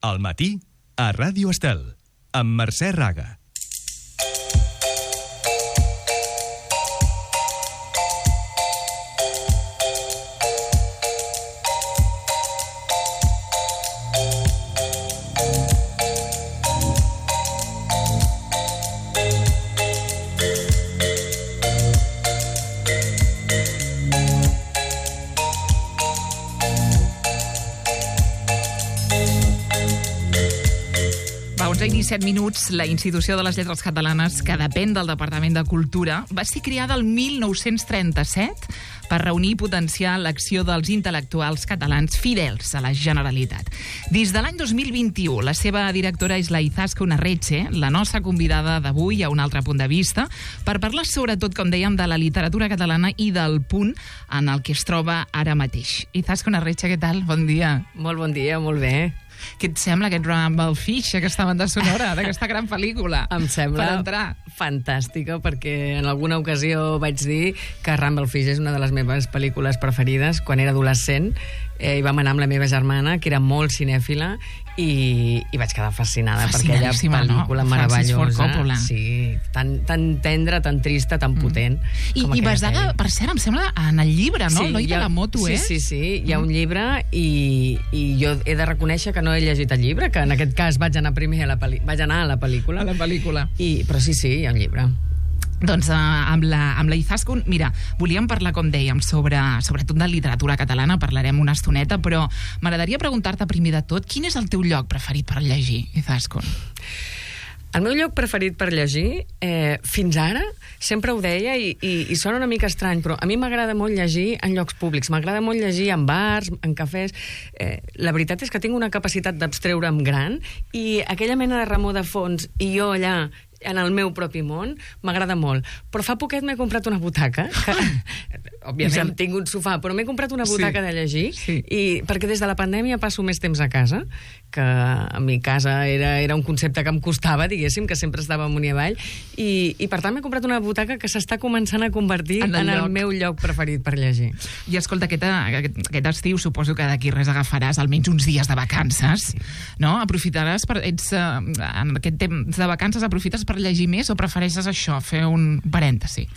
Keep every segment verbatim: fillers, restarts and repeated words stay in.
Al matí, a Ràdio Estel, amb Mercè Raga. disset minuts, la Institució de les Lletres Catalanes, que depèn del Departament de Cultura, va ser creada el mil nou-cents trenta-set per reunir i potenciar l'acció dels intel·lectuals catalans fidels a la Generalitat. Des de l'any dos mil vint-i-u, la seva directora és la Izaskun Arretxe, la nostra convidada d'avui a un altre punt de vista, per parlar sobretot, com dèiem, de la literatura catalana i del punt en el que es troba ara mateix. Izaskun Arretxe, què tal? Bon dia. Molt bon dia, molt bé. Què et sembla aquest Rumble Fish, aquesta banda sonora d'aquesta gran pel·lícula? Em sembla per entrar. Fantàstica, perquè en alguna ocasió vaig dir que Rumble Fish és una de les meves pel·lícules preferides. Quan era adolescent eh, hi vam anar amb la meva germana, que era molt cinèfila, i, i vaig quedar fascinada per aquella pel·lícula no? meravellosa. Sí, tan, tan tendra, tan trista, tan potent. Mm. I, i basada, per cert, em sembla, en el llibre, no? Sí, L'Oi de la moto, sí, eh? Sí, sí, sí, hi ha un llibre i, i jo he de reconèixer que no he llegit el llibre, que en aquest cas vaig anar primer a la, peli vaig anar a la pel·lícula. A la pel·lícula. I, però sí, sí, hi ha un llibre. Doncs uh, amb la, amb la Izaskun, mira, volíem parlar, com dèiem, sobre, sobretot de literatura catalana, parlarem una estoneta, però m'agradaria preguntar-te primer de tot, quin és el teu lloc preferit per llegir, Izaskun? El meu lloc preferit per llegir, eh, fins ara, sempre ho deia i, i, i sona una mica estrany, però a mi m'agrada molt llegir en llocs públics, m'agrada molt llegir en bars, en cafès. Eh, la veritat és que tinc una capacitat d'abstreure'm gran i aquella mena de remor de fons i jo allà en el meu propi món, m'agrada molt. Però fa poquet m'he comprat una butaca, que, òbviament tinc un sofà, però m'he comprat una butaca sí, de llegir, sí. I perquè des de la pandèmia passo més temps a casa, que a mi casa era, era un concepte que em costava, diguéssim, que sempre estava amunt i avall, i, i per tant m'he comprat una butaca que s'està començant a convertir en el, en el meu lloc preferit per llegir. I escolta, aquest, aquest, aquest estiu suposo que d'aquí res agafaràs almenys uns dies de vacances, sí. No? Aprofitaràs, per, ets, en aquest temps de vacances aprofites per llegir més o prefereixes això, fer un parèntesi?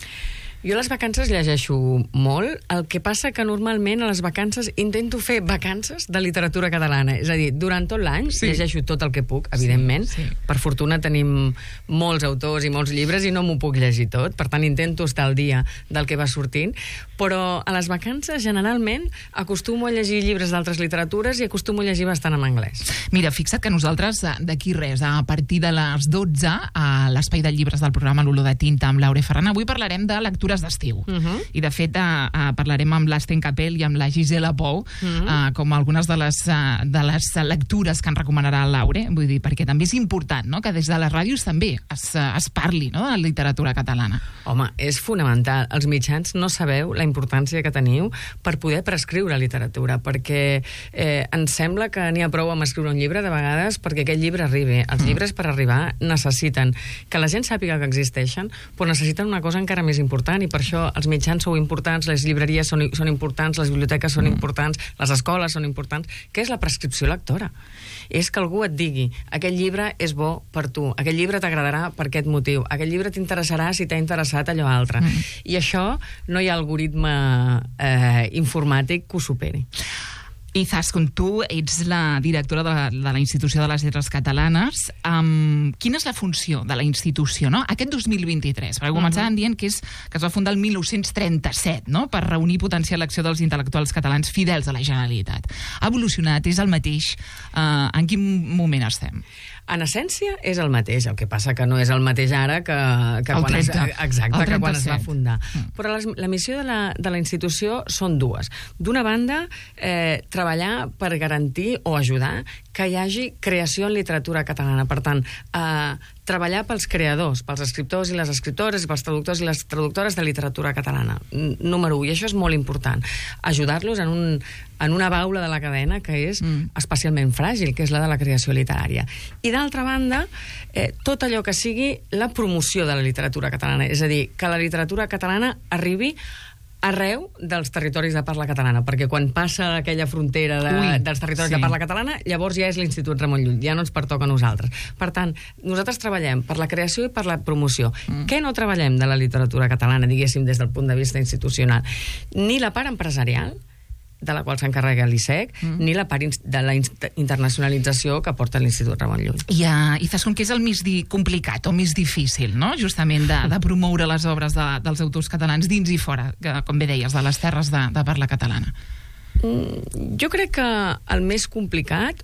Jo a les vacances llegeixo molt, el que passa que normalment a les vacances intento fer vacances de literatura catalana, és a dir, durant tot l'any sí. llegeixo tot el que puc, evidentment, sí, sí. Per fortuna tenim molts autors i molts llibres i no m'ho puc llegir tot, per tant intento estar al dia del que va sortint, però a les vacances generalment acostumo a llegir llibres d'altres literatures i acostumo a llegir bastant en anglès. Mira, fixa't que nosaltres d'aquí res, a partir de les dotze, a l'espai de llibres del programa L'Olor de Tinta amb Laura Ferran, avui parlarem de lectura d'estiu. Uh -huh. I de fet uh, uh, parlarem amb l'Sten Capell i amb la Gisela Pou uh -huh. uh, com algunes de les, uh, de les lectures que ens recomanarà el Laure, vull dir, perquè també és important, no?, que des de les ràdios també es, uh, es parli, no?, de la literatura catalana. Home, és fonamental. Els mitjans no sabeu la importància que teniu per poder prescriure literatura, perquè eh, ens sembla que n'hi ha prou amb escriure un llibre de vegades perquè aquest llibre arribi. Els uh -huh. llibres per arribar necessiten que la gent sàpiga que existeixen, però necessiten una cosa encara més important, i per això els mitjans sou importants, les llibreries són, són importants, les biblioteques són importants, les escoles són importants, que és la prescripció lectora. És que algú et digui, aquest llibre és bo per tu, aquest llibre t'agradarà per aquest motiu, aquest llibre t'interessarà si t'ha interessat allò altre. Mm. I això no hi ha algoritme eh, informàtic que ho superi. Izaskun, tu ets la directora de la, de la Institució de les Lletres Catalanes. Um, quina és la funció de la institució, no?, aquest dos mil vint-i-tres? Perquè començàvem uh -huh. dient que, és, que es va fundar el mil nou-cents trenta-set, no?, per reunir i potenciar l'acció dels intel·lectuals catalans fidels a la Generalitat. Ha evolucionat? És el mateix? Uh, en quin moment estem? En essència és el mateix, el que passa que no és el mateix ara que, que, quan, es, exacte, que quan es va fundar. Mm. Però les, la missió de la, de la institució són dues. D'una banda, eh, treballar per garantir o ajudar que hi hagi creació en literatura catalana. Per tant, eh, treballar pels creadors, pels escriptors i les escriptores, i pels traductors i les traductores de literatura catalana. Número u, i això és molt important. Ajudar-los en, un, en una baula de la cadena que és mm. especialment fràgil, que és la de la creació literària. I d'altra banda, eh, tot allò que sigui la promoció de la literatura catalana, és a dir, que la literatura catalana arribi arreu dels territoris de parla catalana, perquè quan passa aquella frontera de, Ui, dels territoris sí. de parla catalana, llavors ja és l'Institut Ramon Llull, ja no ens pertoca a nosaltres. Per tant, nosaltres treballem per la creació i per la promoció. Mm. Què no treballem de la literatura catalana, diguéssim, des del punt de vista institucional? Ni la part empresarial, de la qual s'encarrega l'I S E C, mm. ni la part de la internacionalització que porta l'Institut Ramon Llull. I, uh, i saps com que és el més di complicat o més difícil, no?, justament de, de promoure les obres de, dels autors catalans dins i fora, que, com bé deies, de les terres de, de parla catalana? Mm, jo crec que el més complicat,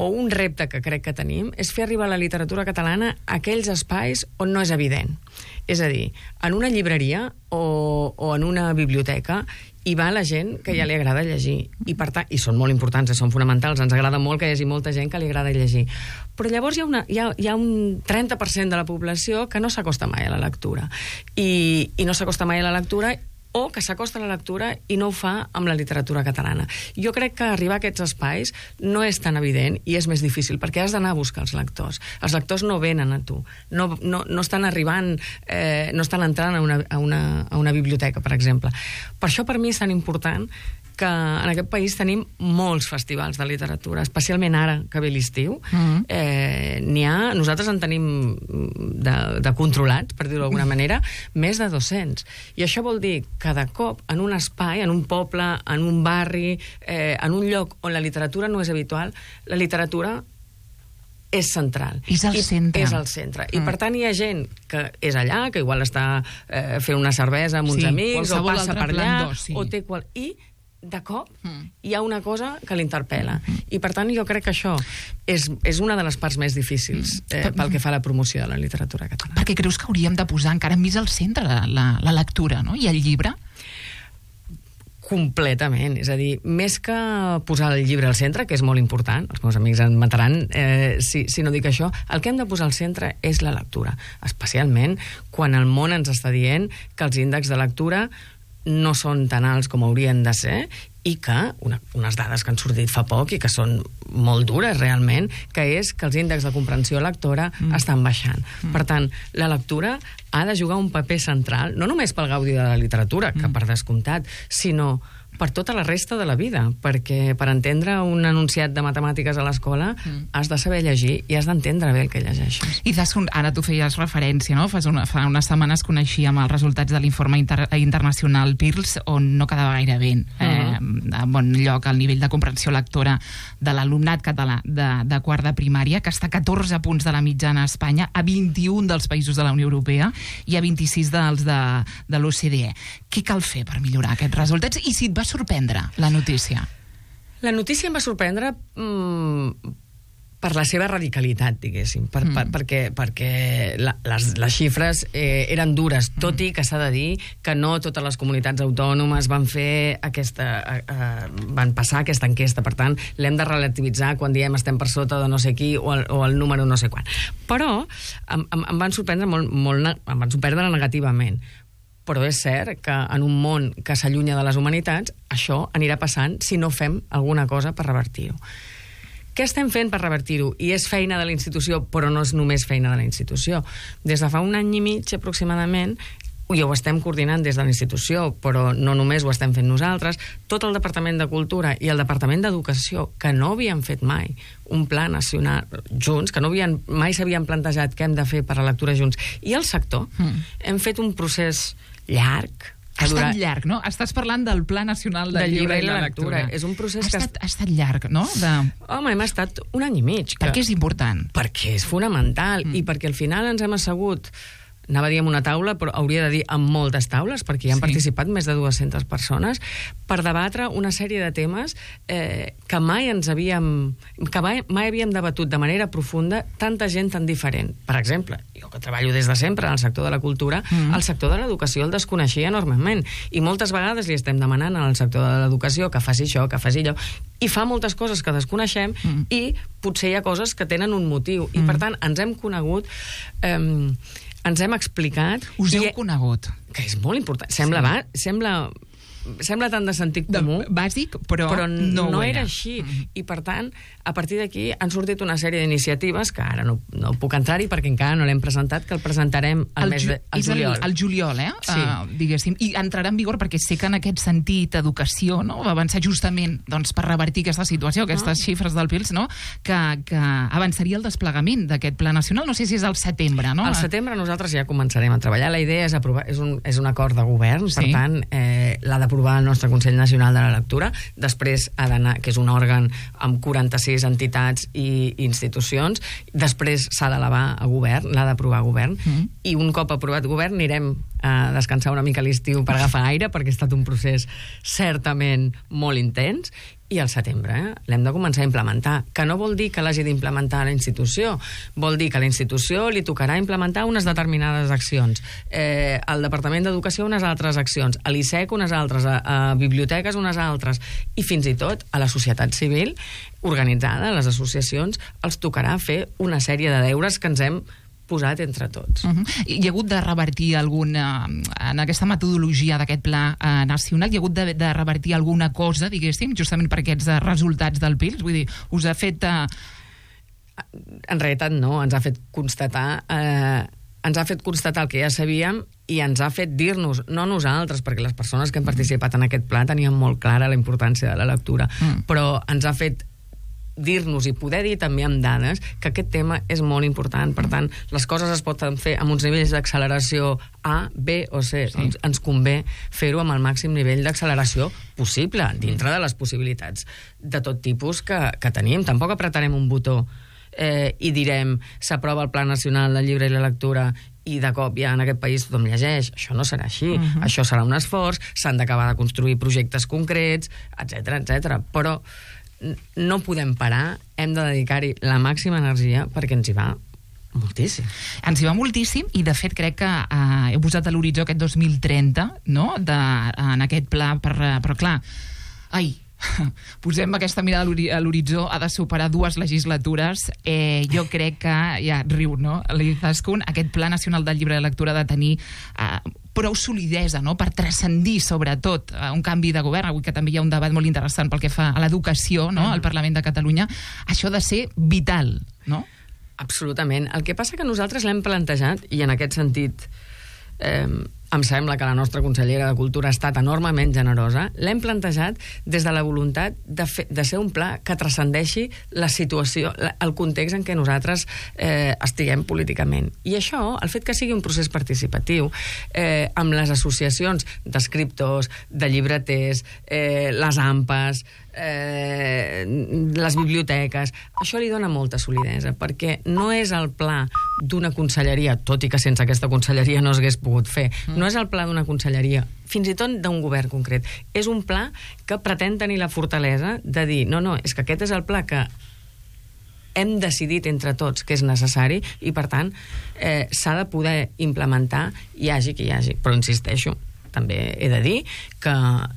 o un repte que crec que tenim, és fer arribar la literatura catalana a aquells espais on no és evident. És a dir, en una llibreria o, o en una biblioteca hi va la gent que ja li agrada llegir. I, per tant, i són molt importants, són fonamentals, ens agrada molt que hi hagi molta gent que li agrada llegir. Però llavors hi ha, una, hi ha, hi ha un trenta per cent de la població que no s'acosta mai a la lectura. I, i no s'acosta mai a la lectura o que s'acosta a la lectura i no ho fa amb la literatura catalana. Jo crec que arribar a aquests espais no és tan evident i és més difícil, perquè has d'anar a buscar els lectors. Els lectors no venen a tu, no, no, no estan arribant, eh, no estan entrant a una, a, una, a una biblioteca, per exemple. Per això per mi és tan important que en aquest país tenim molts festivals de literatura, especialment ara que ve l'estiu. Mm-hmm. eh, n'hi ha, nosaltres en tenim de, de controlats, per dir-ho d'alguna manera, més de dos-cents. I això vol dir que de cop en un espai, en un poble, en un barri, eh, en un lloc on la literatura no és habitual, la literatura és central. És el centre. És el centre. Mm. I per tant hi ha gent que és allà, que igual està eh, fent una cervesa amb uns sí, amics, o passa per allà, sí. o té qual... I de cop mm. hi ha una cosa que l'interpel·la. I per tant jo crec que això és, és una de les parts més difícils eh, pel que fa a la promoció de la literatura catalana. Perquè creus que hauríem de posar encara més al centre la, la, la lectura, no?, i el llibre? Completament, és a dir, més que posar el llibre al centre, que és molt important, els meus amics em mataran eh, si, si no dic això, el que hem de posar al centre és la lectura, especialment quan el món ens està dient que els índexs de lectura no són tan alts com haurien de ser i que, una, unes dades que han sortit fa poc i que són molt dures realment, que és que els índexs de comprensió lectora mm. estan baixant. Mm. Per tant, la lectura ha de jugar un paper central, no només pel gaudi de la literatura, que mm. per descomptat, sinó per tota la resta de la vida, perquè per entendre un enunciat de matemàtiques a l'escola mm. has de saber llegir i has d'entendre bé el que llegeixes. I des, ara tu feies referència, no? Fa, una, fa unes setmanes coneixíem els resultats de l'informe inter, internacional PIRLS, on no quedava gaire bé eh, uh-huh. a bon lloc el nivell de comprensió lectora de l'alumnat català de, de quart de primària, que està a catorze punts de la mitjana a Espanya, a vint-i-un dels països de la Unió Europea i a vint-i-sis dels de, de l'O C D E. Què cal fer per millorar aquests resultats? I si et va sorprendre la notícia? La notícia em va sorprendre mmm, per la seva radicalitat, diguéssim, per, mm. per, perquè, perquè la, les, les xifres eh, eren dures, tot i que s'ha de dir que no totes les comunitats autònomes van fer aquesta, eh, van passar aquesta enquesta, per tant, l'hem de relativitzar quan diem estem per sota de no sé qui o el, o el número no sé quan. Però em, em, em van sorprendre molt, molt, em van sorprendre negativament. Però és cert que en un món que s'allunya de les humanitats, això anirà passant si no fem alguna cosa per revertir-ho. Què estem fent per revertir-ho? I és feina de la institució, però no és només feina de la institució. Des de fa un any i mig, aproximadament, i ho estem coordinant des de la institució, però no només ho estem fent nosaltres, tot el Departament de Cultura i el Departament d'Educació, que no havien fet mai un pla nacional junts, que no havien, mai s'havien plantejat què hem de fer per a la lectura junts, i el sector, mm. hem fet un procés llarg. Ha estat durat... llarg, no? Estàs parlant del Pla Nacional del, del Llibre i la Lectura. És un procés ha que... Estat, ha estat llarg, no? De... Home, hem estat un any i mig. Per què és important? Perquè és fonamental mm. i perquè al final ens hem assegut, anava a dir amb una taula, però hauria de dir amb moltes taules, perquè hi han sí. participat més de dues-centes persones, per debatre una sèrie de temes eh, que mai ens havíem que mai, mai havíem debatut de manera profunda tanta gent tan diferent. Per exemple, jo que treballo des de sempre en el sector de la cultura, mm. el sector de l'educació el desconeixia enormement, i moltes vegades li estem demanant al sector de l'educació que faci això, que faci allò, i fa moltes coses que desconeixem mm. i potser hi ha coses que tenen un motiu, mm. i per tant ens hem conegut eh, ens hem explicat... Us heu i, conegut. Que és molt important. Sembla, sí. va, sembla sembla tant de sentit comú. De, bàsic, però, però no, no era. era així. Mm-hmm. I, per tant, a partir d'aquí han sortit una sèrie d'iniciatives que ara no, no puc entrar-hi perquè encara no l'hem presentat, que el presentarem al mes de al juliol. El, el juliol, eh? Sí. Uh, diguéssim. I entrarà en vigor perquè sé que en aquest sentit educació, no?, va avançar justament doncs, per revertir aquesta situació, aquestes ah. xifres del P I L S, no?, que, que avançaria el desplegament d'aquest pla nacional. No sé si és al setembre, no? Al setembre nosaltres ja començarem a treballar. La idea és aprovar, és un, és un acord de govern, sí. Per tant, eh, l'ha d'aprovar el nostre Consell Nacional de la Lectura, després ha d'anar, que és un òrgan amb quaranta-sis entitats i institucions, després s'ha d'elevar a govern, l'ha d'aprovar a govern, mm. i un cop aprovat govern anirem a descansar una mica a l'estiu per agafar aire, perquè ha estat un procés certament molt intens, i al setembre eh, l'hem de començar a implementar, que no vol dir que l'hagi d'implementar a la institució, vol dir que a la institució li tocarà implementar unes determinades accions, eh, al Departament d'Educació unes altres accions, a l'I S E C unes altres, a, a biblioteques unes altres, i fins i tot a la societat civil organitzada, a les associacions, els tocarà fer una sèrie de deures que ens hem posat entre tots. Uh -huh. Hi ha hagut de revertir alguna, en aquesta metodologia d'aquest pla eh, nacional, hi ha hagut de, de revertir alguna cosa, diguéssim, justament per aquests eh, resultats del P I L S? Vull dir, us ha fet... Eh... En realitat no, ens ha fet constatar... Eh, ens ha fet constatar el que ja sabíem i ens ha fet dir-nos, no nosaltres, perquè les persones que hem participat en aquest pla tenien molt clara la importància de la lectura, mm. però ens ha fet dir-nos i poder dir també amb dades que aquest tema és molt important. Per tant, les coses es poden fer amb uns nivells d'acceleració A, B o C. Sí. Doncs ens convé fer-ho amb el màxim nivell d'acceleració possible, dintre de les possibilitats de tot tipus que, que tenim. Tampoc apretarem un botó eh, i direm s'aprova el Pla Nacional del Llibre i la Lectura i de cop ja en aquest país tothom llegeix. Això no serà així. Uh-huh. Això serà un esforç, s'han d'acabar de construir projectes concrets, etcètera, etcètera. Però no podem parar, hem de dedicar-hi la màxima energia perquè ens hi va moltíssim. Ens hi va moltíssim i, de fet, crec que eh, heu posat a l'horitzó aquest dos mil trenta, no?, de, en aquest pla, per, però clar, ai, posem aquesta mirada a l'horitzó, ha de superar dues legislatures. Eh, jo crec que, ja riu, no?, l'Izaskun, aquest Pla Nacional del Llibre de Lectura ha de tenir eh, prou solidesa, no?, per transcendir, sobretot, un canvi de govern. Avui que també hi ha un debat molt interessant pel que fa a l'educació, no?, al Parlament de Catalunya. Això ha de ser vital, no? Absolutament. El que passa que nosaltres l'hem plantejat, i en aquest sentit eh, em sembla que la nostra consellera de Cultura ha estat enormement generosa, l'hem plantejat des de la voluntat de, fer, de ser un pla que transcendeixi la situació, el context en què nosaltres eh, estiguem políticament. I això, el fet que sigui un procés participatiu, eh, amb les associacions d'escriptors, de llibreters, eh, les AMPAs, eh, les biblioteques, això li dona molta solidesa, perquè no és el pla d'una conselleria, tot i que sense aquesta conselleria no s'hagués pogut fer, no és el pla d'una conselleria, fins i tot d'un govern concret. És un pla que pretén tenir la fortalesa de dir, no, no, és que aquest és el pla que hem decidit entre tots que és necessari i, per tant, eh, s'ha de poder implementar, hi hagi qui hi hagi. Però insisteixo, també he de dir que,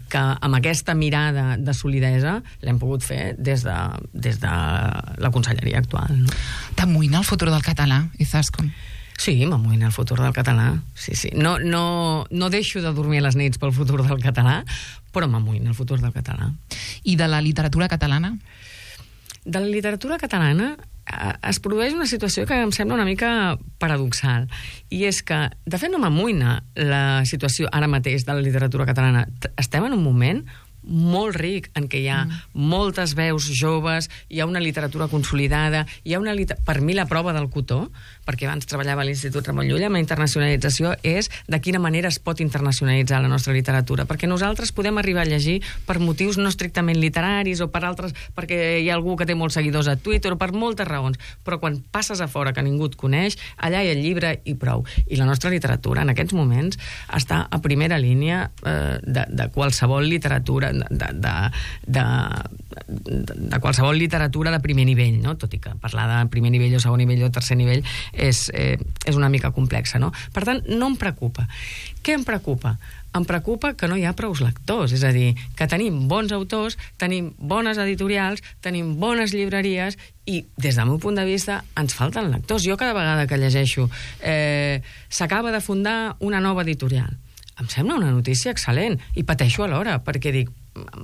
que amb aquesta mirada de solidesa l'hem pogut fer des de, des de la conselleria actual. No? T'amoïna el futur del català, Izaskun? Sí, m'amoïna el futur del català. Sí, sí. No, no, no deixo de dormir a les nits pel futur del català, però m'amoïna el futur del català. I de la literatura catalana? De la literatura catalana eh, es produeix una situació que em sembla una mica paradoxal, i és que, de fet, no m'amoïna la situació ara mateix de la literatura catalana. Estem en un moment molt ric, en què hi ha mm. moltes veus joves, hi ha una literatura consolidada, hi ha una liter... per mi la prova del cotó, perquè abans treballava a l'Institut Ramon Llull, amb la internacionalització és de quina manera es pot internacionalitzar la nostra literatura, perquè nosaltres podem arribar a llegir per motius no estrictament literaris o per altres, perquè hi ha algú que té molts seguidors a Twitter o per moltes raons, però quan passes a fora que ningú et coneix, allà hi ha el llibre i prou. I la nostra literatura en aquests moments està a primera línia eh, de, de qualsevol literatura De, de, de, de, de qualsevol literatura de primer nivell, no? Tot i que parlar de primer nivell o segon nivell o tercer nivell és, eh, és una mica complexa, no? Per tant, no em preocupa. Què em preocupa? Em preocupa que no hi ha prous lectors, és a dir, que tenim bons autors, tenim bones editorials, tenim bones llibreries i, des del meu punt de vista, ens falten lectors. Jo cada vegada que llegeixo eh, s'acaba de fundar una nova editorial, em sembla una notícia excel·lent, i pateixo alhora, perquè dic,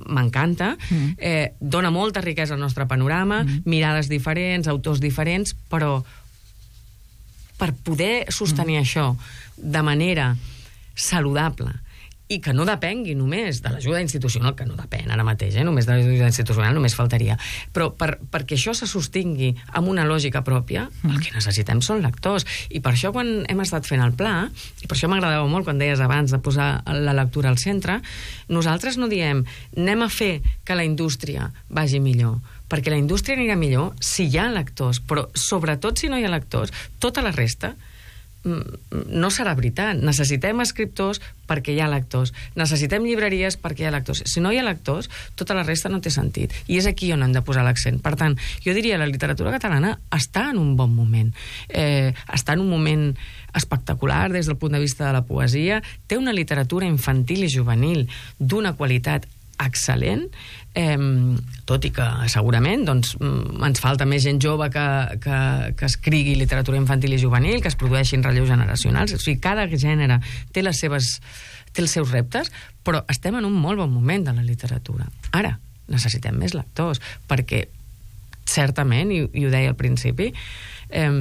m'encanta, mm. eh, dona molta riquesa al nostre panorama, mm. mirades diferents, autors diferents, però per poder sostenir mm. això de manera saludable i que no depengui només de l'ajuda institucional, que no depèn ara mateix, eh? Només de l'ajuda institucional només faltaria, però per, perquè això se sostingui amb una lògica pròpia, mm. el que necessitem són lectors, i per això quan hem estat fent el pla, i per això m'agradava molt quan deies abans de posar la lectura al centre, nosaltres no diem anem a fer que la indústria vagi millor, perquè la indústria anirà millor si hi ha lectors, però sobretot si no hi ha lectors, tota la resta no serà veritat. Necessitem escriptors perquè hi ha lectors. Necessitem llibreries perquè hi ha lectors. Si no hi ha lectors, tota la resta no té sentit. I és aquí on hem de posar l'accent. Per tant, jo diria que la literatura catalana està en un bon moment. Eh, està en un moment espectacular des del punt de vista de la poesia. Té una literatura infantil i juvenil d'una qualitat excel·lent, eh, tot i que segurament doncs, ens falta més gent jove que, que, que escrigui literatura infantil i juvenil, que es produeixin relleus generacionals. O sigui, cada gènere té les seves, té els seus reptes, però estem en un molt bon moment de la literatura. Ara, necessitem més lectors, perquè certament, i, i ho deia al principi, eh,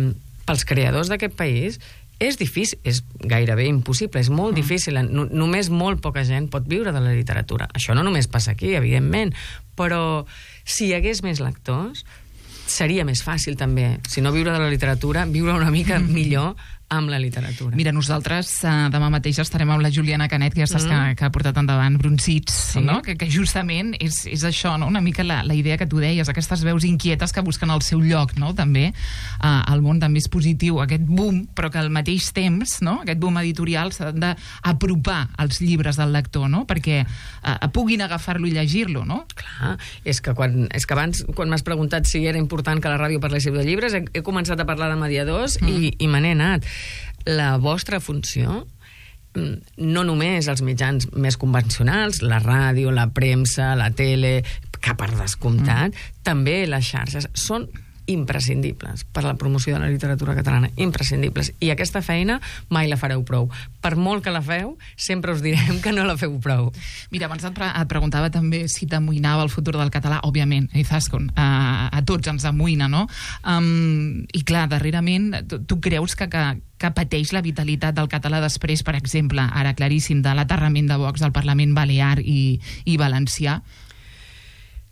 pels creadors d'aquest país és difícil, és gairebé impossible, és molt mm. difícil, no, només molt poca gent pot viure de la literatura. Això no només passa aquí, evidentment, però si hi hagués més lectors, seria més fàcil també, si no viure de la literatura, viure una mica millor amb la literatura. Mira, nosaltres uh, demà mateix estarem amb la Juliana Canet, que ja saps mm. que, que ha portat endavant Brunzits, sí. no? que, que justament és, és això, no? Una mica la, la idea que tu deies, aquestes veus inquietes que busquen el seu lloc, no? també uh, el món també és positiu, aquest boom, però que al mateix temps, no? aquest boom editorial s'ha d'apropar als llibres del lector, no? perquè uh, puguin agafar-lo i llegir-lo, no? Clar, és que, quan, és que abans, quan m'has preguntat si era important que la ràdio parléssiu de llibres, he, he començat a parlar de mediadors mm. i, i me n'he anat. La vostra funció, no només els mitjans més convencionals, la ràdio, la premsa, la tele, que per descomptat, mm. també les xarxes, són imprescindibles per la promoció de la literatura catalana, imprescindibles. I aquesta feina mai la fareu prou. Per molt que la feu, sempre us direm que no la feu prou. Mira, abans et, pre et preguntava també si t'amoïnava el futur del català. Òbviament, Izaskun, a, a tots ens amoïna, no? Um, I clar, darrerament, tu, tu creus que, que, que pateix la vitalitat del català després, per exemple, ara claríssim, de l'aterrament de Vox al Parlament Balear i, i Valencià?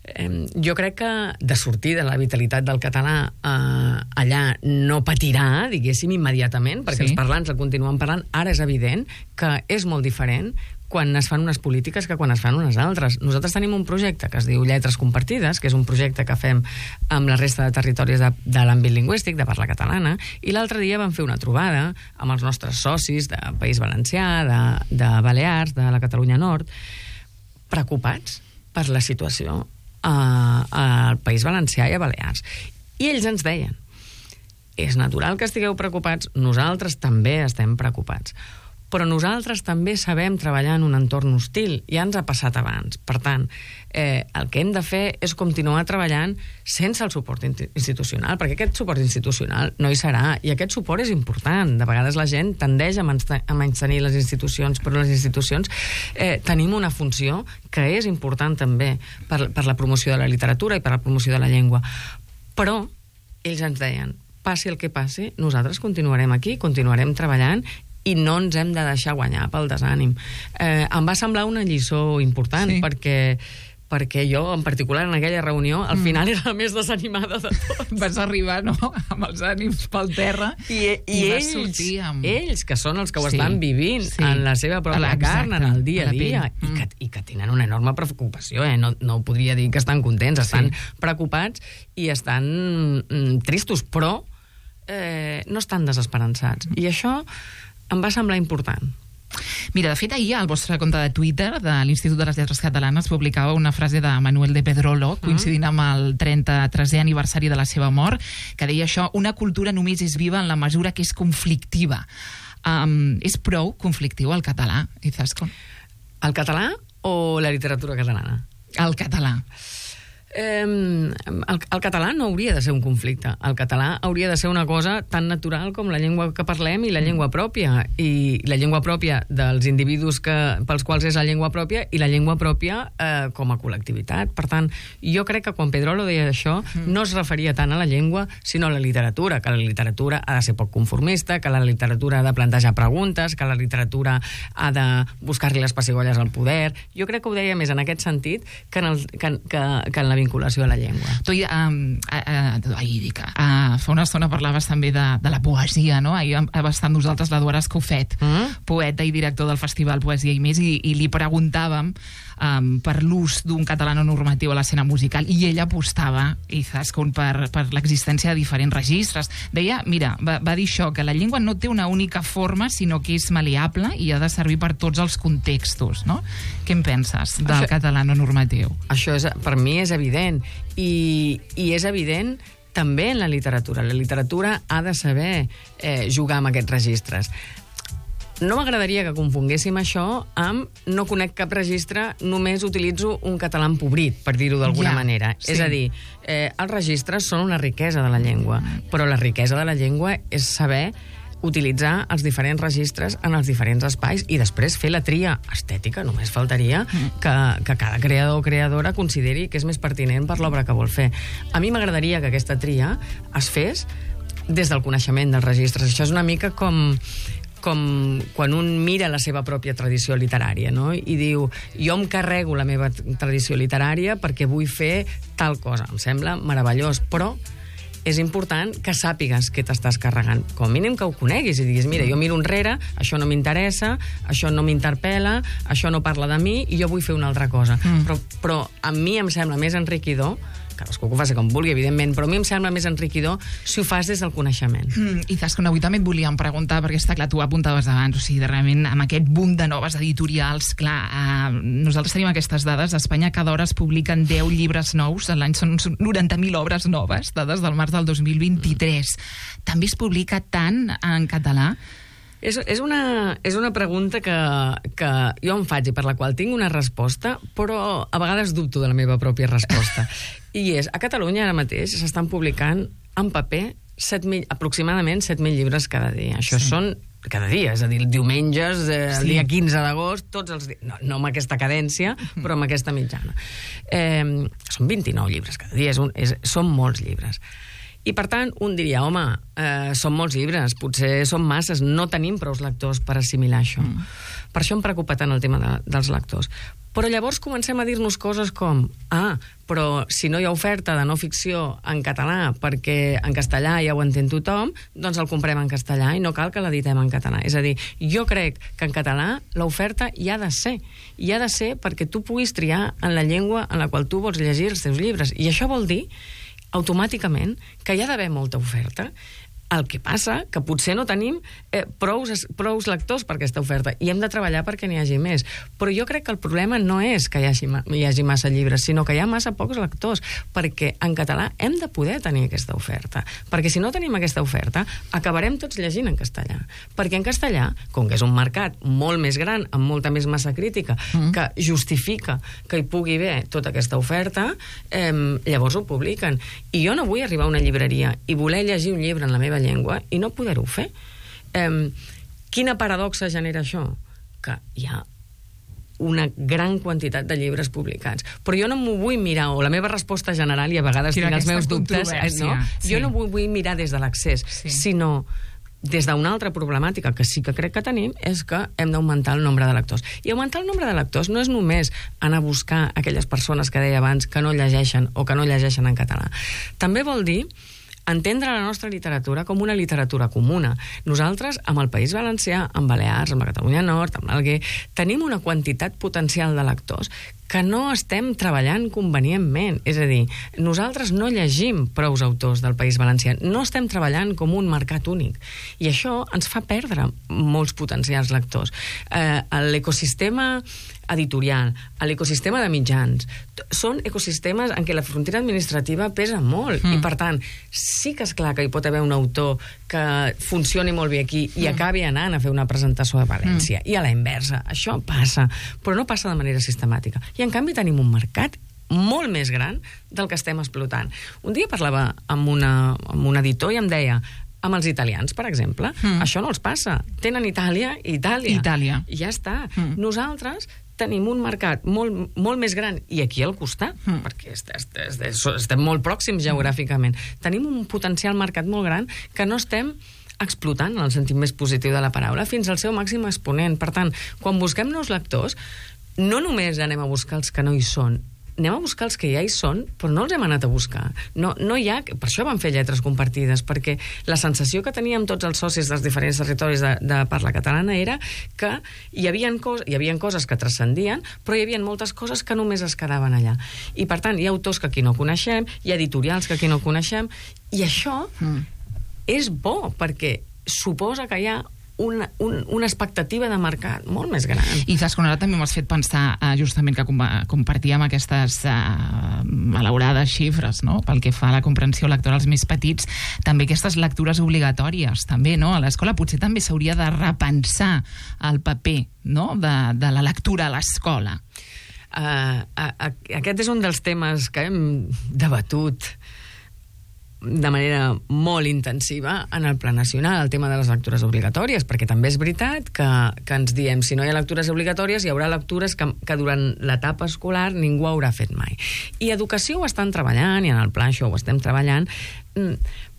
Eh, jo crec que de sortida la vitalitat del català eh, allà no patirà, diguéssim, immediatament, perquè sí. els parlants el continuen parlant. Ara és evident que és molt diferent quan es fan unes polítiques que quan es fan unes altres. Nosaltres tenim un projecte que es diu Lletres Compartides, que és un projecte que fem amb la resta de territoris de, de l'àmbit lingüístic, de parla catalana, i l'altre dia vam fer una trobada amb els nostres socis de País Valencià, de, de Balears, de la Catalunya Nord, preocupats per la situació al País Valencià i a Balears. I ells ens deien, és natural que estigueu preocupats, nosaltres també estem preocupats, però nosaltres també sabem treballar en un entorn hostil, ja ens ha passat abans. Per tant, eh, el que hem de fer és continuar treballant sense el suport institucional, perquè aquest suport institucional no hi serà, i aquest suport és important. De vegades la gent tendeix a menystenir les institucions, però les institucions eh, tenim una funció que és important també per, per la promoció de la literatura i per la promoció de la llengua. Però ells ens deien, passi el que passi, nosaltres continuarem aquí, continuarem treballant, i no ens hem de deixar guanyar pel desànim. Eh, em va semblar una lliçó important, sí. perquè perquè jo, en particular, en aquella reunió, al mm. final era la més desanimada de tots. Vas arribar, no?, amb els ànims pel terra i, i, i vas ells, sortir amb... ells, que són els que ho sí, estan vivint sí. en la seva pròpia carn, en el dia a dia, mm. i, que, i que tenen una enorme preocupació, eh? no, no podria dir que estan contents, estan sí. preocupats i estan mm, tristos, però eh, no estan desesperançats. Mm. I això em va semblar important. Mira, de fet, ahir al vostre compte de Twitter de l'Institut de les Lletres Catalanes publicava una frase de Manuel de Pedrolo, coincidint amb el trenta-tresè aniversari de la seva mort, que deia això: una cultura només és viva en la mesura que és conflictiva. Um, és prou conflictiu el català, Izaskun? El català o la literatura catalana? El català. Eh, el, el català no hauria de ser un conflicte. El català hauria de ser una cosa tan natural com la llengua que parlem i la llengua pròpia. I la llengua pròpia dels individus que, pels quals és la llengua pròpia i la llengua pròpia eh, com a col·lectivitat. Per tant, jo crec que quan Pedrolo deia això, no es referia tant a la llengua, sinó a la literatura, que la literatura ha de ser poc conformista, que la literatura ha de plantejar preguntes, que la literatura ha de buscar-li les pessigolles al poder. Jo crec que ho deia més en aquest sentit que en, el, que, que, que en la vinculació a la llengua. Tu, um, uh, uh, ahir dic, uh, fa una estona parlaves també de, de la poesia, no? Ahir va estar amb nosaltres l'Eduard Escofet, mm? poeta i director del Festival Poesia i Més, i, i li preguntàvem um, per l'ús d'un català no normatiu a l'escena musical, i ell apostava, Izaskun, per, per l'existència de diferents registres. Deia, mira, va, va dir això, que la llengua no té una única forma, sinó que és maleable i ha de servir per tots els contextos, no? Què en penses del això, català no normatiu? Això és, per mi és evident, i, i és evident també en la literatura. La literatura ha de saber eh, jugar amb aquests registres. No m'agradaria que confonguéssim això amb no conec cap registre, només utilitzo un català empobrit, per dir-ho d'alguna ja, manera. Sí. És a dir, eh, els registres són una riquesa de la llengua, però la riquesa de la llengua és saber utilitzar els diferents registres en els diferents espais i després fer la tria estètica. Només faltaria que, que cada creador o creadora consideri que és més pertinent per l'obra que vol fer. A mi m'agradaria que aquesta tria es fes des del coneixement dels registres. Això és una mica com... com quan un mira la seva pròpia tradició literària, no? I diu, jo em carrego la meva tradició literària perquè vull fer tal cosa. Em sembla meravellós, però és important que sàpigues què t'estàs carregant. Com a mínim que ho coneguis i diguis, mira, jo miro enrere, això no m'interessa, això no m'interpel·la, això no parla de mi i jo vull fer una altra cosa. Mm. Però, però a mi em sembla més enriquidor, cadascú que ho faci com vulgui, evidentment, però a mi em sembla més enriquidor si ho fas des del coneixement. Mm, I Izaskun, avui també et volíem preguntar, perquè està clar, tu ho apuntaves abans, o sigui, realment, amb aquest boom de noves editorials, clar, eh, nosaltres tenim aquestes dades, a Espanya cada hora es publiquen deu llibres nous, a l'any són noranta mil obres noves, dades del març del dos mil vint-i-tres. Mm. També es publica tant en català? És, és, una, és una pregunta que, que jo em faig i per la qual tinc una resposta, però a vegades dubto de la meva pròpia resposta. I és, a Catalunya ara mateix s'estan publicant en paper set mil, aproximadament set mil llibres cada dia. Això sí. Són cada dia, és a dir, diumenges, eh, el sí. dia quinze d'agost, tots els dies, no, no amb aquesta cadència, però amb aquesta mitjana. Eh, són vint-i-nou llibres cada dia, és un, és, són molts llibres. I, per tant, un diria, home, eh, són molts llibres, potser són masses, no tenim prous lectors per assimilar això. Mm. Per això em preocupa tant el tema de, dels lectors. Però llavors comencem a dir-nos coses com, ah, però si no hi ha oferta de no ficció en català perquè en castellà ja ho entén tothom, doncs el comprem en castellà i no cal que l'editem en català. És a dir, jo crec que en català l'oferta hi ha de ser. Hi ha de ser perquè tu puguis triar en la llengua en la qual tu vols llegir els teus llibres. I això vol dir automàticament que hi ha d'haver molta oferta. El que passa que potser no tenim eh, prous, prous lectors per aquesta oferta i hem de treballar perquè n'hi hagi més. Però jo crec que el problema no és que hi hagi, hi hagi massa llibres, sinó que hi ha massa pocs lectors, perquè en català hem de poder tenir aquesta oferta. Perquè si no tenim aquesta oferta, acabarem tots llegint en castellà. Perquè en castellà, com que és un mercat molt més gran, amb molta més massa crítica, mm. que justifica que hi pugui haver tota aquesta oferta, eh, llavors ho publiquen. I jo no vull arribar a una llibreria i voler llegir un llibre en la meva llengua i no poder-ho fer. Eh, quina paradoxa genera això? Que hi ha una gran quantitat de llibres publicats. Però jo no m'ho vull mirar, o la meva resposta general, i a vegades tinc els meus dubtes, eh, no? Sí. Jo no m'ho vull mirar des de l'accés, sí. sinó des d'una altra problemàtica que sí que crec que tenim, és que hem d'augmentar el nombre de lectors. I augmentar el nombre de lectors no és només anar a buscar aquelles persones que deia abans que no llegeixen o que no llegeixen en català. També vol dir entendre la nostra literatura com una literatura comuna. Nosaltres, amb el País Valencià, amb Balears, amb la Catalunya Nord, amb l'Alguer, tenim una quantitat potencial de lectors que no estem treballant convenientment. És a dir, nosaltres no llegim prous autors del País Valencià, no estem treballant com un mercat únic. I això ens fa perdre molts potencials lectors. Eh, l'ecosistema editorial, l'ecosistema de mitjans, són ecosistemes en què la frontera administrativa pesa molt, mm. i per tant, sí que és clar que hi pot haver un autor que funcioni molt bé aquí i mm. acabi anant a fer una presentació a València, mm. i a la inversa. Això passa, però no passa de manera sistemàtica. I en canvi tenim un mercat molt més gran del que estem explotant. Un dia parlava amb, una, amb un editor i em deia, amb els italians, per exemple, mm. això no els passa. Tenen Itàlia i Itàlia. Itàlia. I ja està. Mm. Nosaltres tenim un mercat molt, molt més gran, i aquí al costat, mm. perquè est, est, est, est, estem molt pròxims geogràficament. Tenim un potencial mercat molt gran que no estem explotant, en el sentit més positiu de la paraula, fins al seu màxim exponent. Per tant, quan busquem nous lectors, no només anem a buscar els que no hi són, anem a buscar els que ja hi són, però no els hem anat a buscar. No, no hi ha... Per això vam fer lletres compartides, perquè la sensació que teníem tots els socis dels diferents territoris de, de parla catalana era que hi havia, cos, hi havia coses que transcendien, però hi havia moltes coses que només es quedaven allà. I, per tant, hi ha autors que aquí no coneixem, hi ha editorials que aquí no coneixem, i això mm. és bo, perquè suposa que hi ha Una, un, una expectativa de mercat molt més gran. I Zasconara també m'has fet pensar eh, justament que com, compartíem aquestes eh, malaurades xifres, no?, pel que fa a la comprensió lectora als més petits, també aquestes lectures obligatòries, també, no?, a l'escola potser també s'hauria de repensar el paper, no?, de, de la lectura a l'escola. Uh, a, a, aquest és un dels temes que hem debatut de manera molt intensiva en el Pla Nacional, el tema de les lectures obligatòries, perquè també és veritat que, que ens diem, si no hi ha lectures obligatòries, hi haurà lectures que, que durant l'etapa escolar ningú haurà fet mai. I Educació ho estan treballant, i en el pla això ho estem treballant,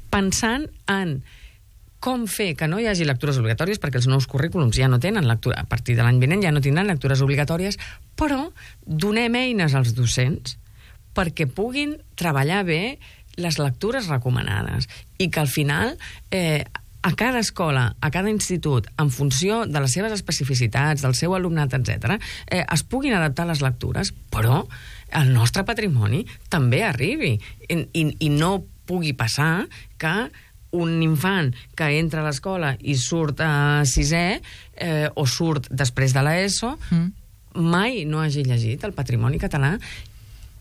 pensant en com fer que no hi hagi lectures obligatòries, perquè els nous currículums ja no tenen lectura, a partir de l'any vinent ja no tindran lectures obligatòries, però donem eines als docents perquè puguin treballar bé les lectures recomanades, i que al final eh, a cada escola, a cada institut, en funció de les seves especificitats, del seu alumnat, etcètera, eh, es puguin adaptar les lectures, però el nostre patrimoni també arribi, i, i, i no pugui passar que un infant que entra a l'escola i surt a sisè eh, o surt després de l'ESO mm. mai no hagi llegit el patrimoni català.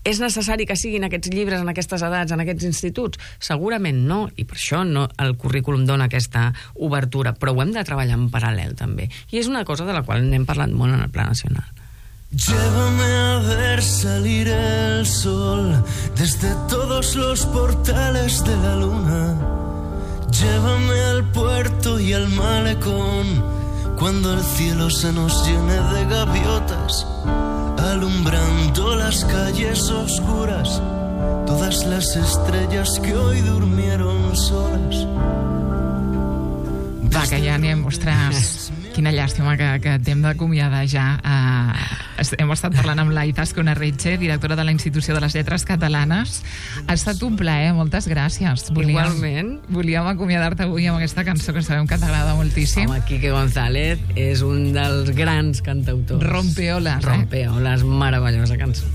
És necessari que siguin aquests llibres en aquestes edats, en aquests instituts? Segurament no, i per això no, el currículum dona aquesta obertura, però ho hem de treballar en paral·lel també. I és una cosa de la qual n'hem parlat molt en el Pla Nacional. Llévame a ver salir el sol desde todos los portales de la luna. Llévame al puerto y al malecón cuando el cielo se nos llene de gaviotas, alumbrando las calles oscuras, todas las estrellas que hoy durmieron solas. Va, que ja anem, ostres, quina llàstima que, que t'hem d'acomiadar ja. Uh, hem estat parlant amb la Izaskun Arretxe, directora de la Institució de les Lletres Catalanes. Ha estat un plaer, moltes gràcies. Volíem, Igualment. Volíem acomiadar-te avui amb aquesta cançó que sabem que t'agrada moltíssim. Home, Quique González és un dels grans cantautors. Rompeoles, eh? Rompeoles, meravellosa cançó.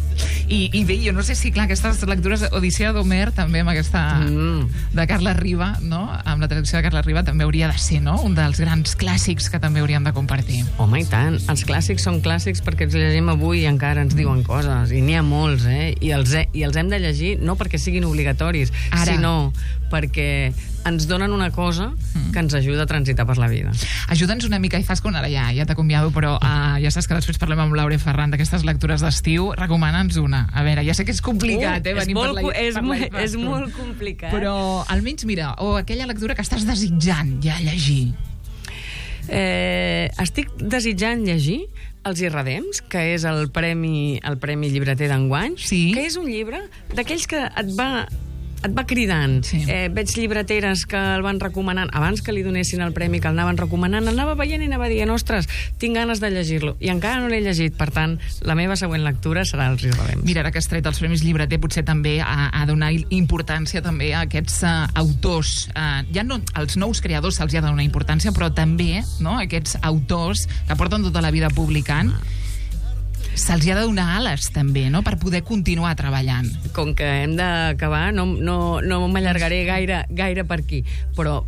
I, I bé, jo no sé si, clar, aquestes lectures Odissea d'Homer, també amb aquesta mm. de Carles Riba, no?, amb la traducció de Carles Riba, també hauria de ser, no?, un dels grans clàssics que també hauríem de compartir. Home, i tant. Els clàssics són clàssics perquè els llegim avui i encara ens diuen coses, i n'hi ha molts, eh? I els, he, i els hem de llegir no perquè siguin obligatoris, Ara. sinó perquè ens donen una cosa mm. que ens ajuda a transitar per la vida. Ajuda'ns una mica, Izaskun, ara ja, ja t'acomiado, però uh, ja saps que després parlem amb Laura Ferran d'aquestes lectures d'estiu. Recomana'ns una. A veure, ja sé que és complicat, uh, eh, venir per la, és per molt, la és molt complicat. Però almenys, mira, o aquella lectura que estàs desitjant ja llegir. Eh, estic desitjant llegir Els Irredems, que és el premi, el premi llibreter d'enguany, sí. que és un llibre d'aquells que et va... et va cridant. Sí. Eh, veig llibreteres que el van recomanant, abans que li donessin el premi, que el anaven recomanant, anava veient i anava dient, ostres, tinc ganes de llegir-lo. I encara no l'he llegit, per tant, la meva següent lectura serà Els Irredems. Mira, ara que has tret els premis llibreter, potser també a, a donar importància també a aquests uh, autors. Uh, ja no, als nous creadors se'ls ha de donar importància, però també, no?, aquests autors que porten tota la vida publicant, se'ls ha de donar ales, també, no?, per poder continuar treballant. Com que hem d'acabar, no, no, no m'allargaré gaire, gaire per aquí, però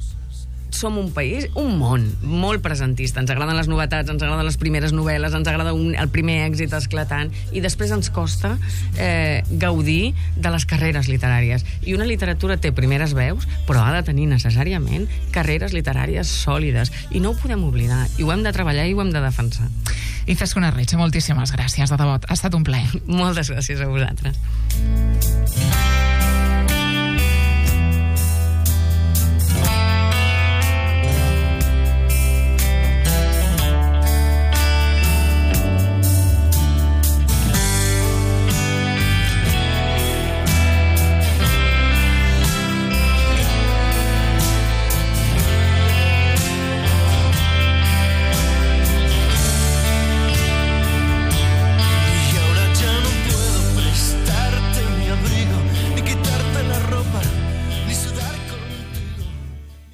som un país, un món molt presentista. Ens agraden les novetats, ens agraden les primeres novel·les, ens agrada un, el primer èxit esclatant, i després ens costa eh, gaudir de les carreres literàries. I una literatura té primeres veus, però ha de tenir necessàriament carreres literàries sòlides. I no ho podem oblidar. I ho hem de treballar i ho hem de defensar. Izaskun Arretxe, moltíssimes gràcies, de debò. Ha estat un plaer. Moltes gràcies a vosaltres.